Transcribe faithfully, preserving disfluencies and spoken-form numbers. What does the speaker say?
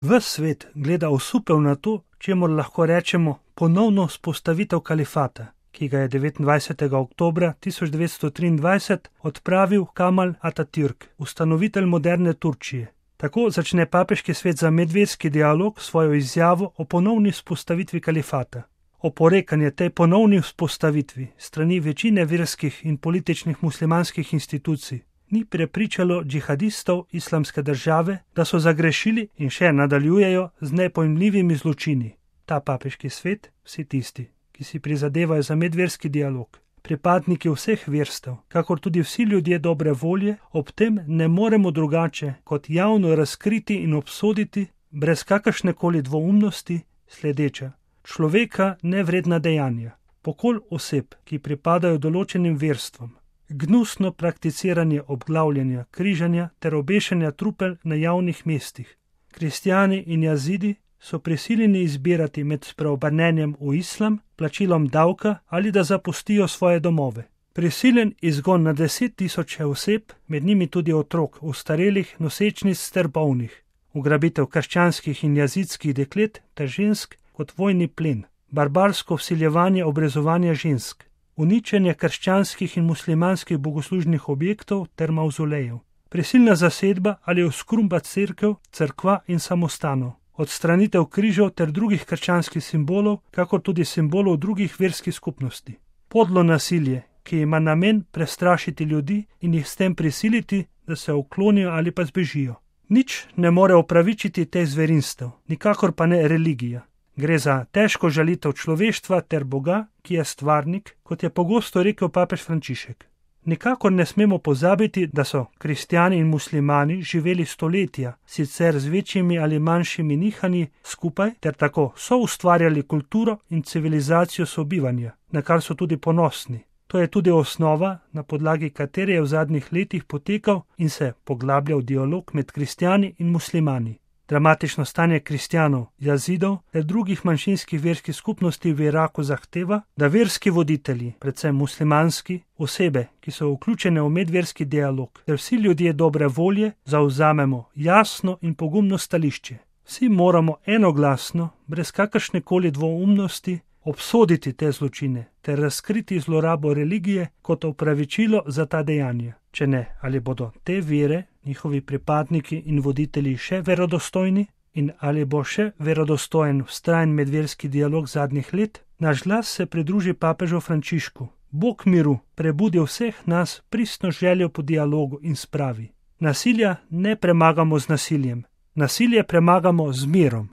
Ves svet gleda osupel na to, čemur lahko rečemo ponovno vzpostavitev kalifata, ki ga je devetindvajsetega oktobra tisoč devetsto triindvajset odpravil Kemal Atatürk, ustanovitelj moderne Turčije. Tako začne papeški svet za medverski dialog svojo izjavo o ponovni vzpostavitvi kalifata. Oporekanje tej ponovni vzpostavitvi strani večine verskih in političnih muslimanskih institucij ni prepričalo džihadistov Islamske države, da so zagrešili in še nadaljujejo z nepojmljivimi zločini. Ta papeški svet, vsi tisti, ki si prizadevajo za medverski dialog, pripadniki vseh verstev, kakor tudi vsi ljudje dobre volje, ob tem ne moremo drugače kot javno razkriti in obsoditi, brez kakršnekoli dvoumnosti, sledeča: človeka nevredna dejanja, pokol oseb, ki pripadajo določenim verstvom, gnusno prakticiranje obglavljanja, križanja ter obešanja trupel na javnih mestih. Kristjani in jazidi so prisiljeni izbirati med spreobrnenjem v islam, plačilom davka ali da zapustijo svoje domove. Prisiljen izgon na deset tisoče oseb, med njimi tudi otrok, ostarelih, nosečnic ter bolnih, ugrabitev krščanskih in jazidskih deklet ter žensk kot vojni plen, barbarsko vsiljevanje obrezovanja žensk, uničenje krščanskih in muslimanskih bogoslužnih objektov ter mavzolejev, prisilna zasedba ali oskrumba cerkev, cerkva in samostanov, odstranitev križev ter drugih krščanskih simbolov, kakor tudi simbolov drugih verskih skupnosti. Podlo nasilje, ki ima namen prestrašiti ljudi in jih s tem prisiliti, da se uklonijo ali pa zbežijo. Nič ne more opravičiti teh zverinstev, nikakor pa ne religija. Gre za težko žalitev človeštva ter Boga, ki je stvarnik, kot je pogosto rekel papež Frančišek. Nikakor ne smemo pozabiti, da so kristjani in muslimani živeli stoletja, sicer z večjimi ali manjšimi nihanji skupaj, ter tako so ustvarjali kulturo in civilizacijo sobivanja, na kar so tudi ponosni. To je tudi osnova, na podlagi katere je v zadnjih letih potekal in se poglabljal dialog med kristjani in muslimani. Dramatično stanje kristjanov, jazidov ter drugih manjšinskih verskih skupnosti v Iraku zahteva, da verski voditelji, predvsem muslimanski, osebe, ki so vključene v medverski dialog, ter vsi ljudje dobre volje zavzamemo jasno in pogumno stališče. Vsi moramo enoglasno, brez kakršnekoli dvoumnosti, obsoditi te zločine ter razkriti zlorabo religije kot opravičilo za ta dejanja. Če ne, ali bodo te vere, njihovi pripadniki in voditelji še verodostojni in ali bo še verodostojen vztrajen medverski dialog zadnjih let, naš glas se pridruži papežu Frančišku. Bog miru prebudi vseh nas pristno željo po dialogu in spravi. Nasilja ne premagamo z nasiljem, nasilje premagamo z mirom.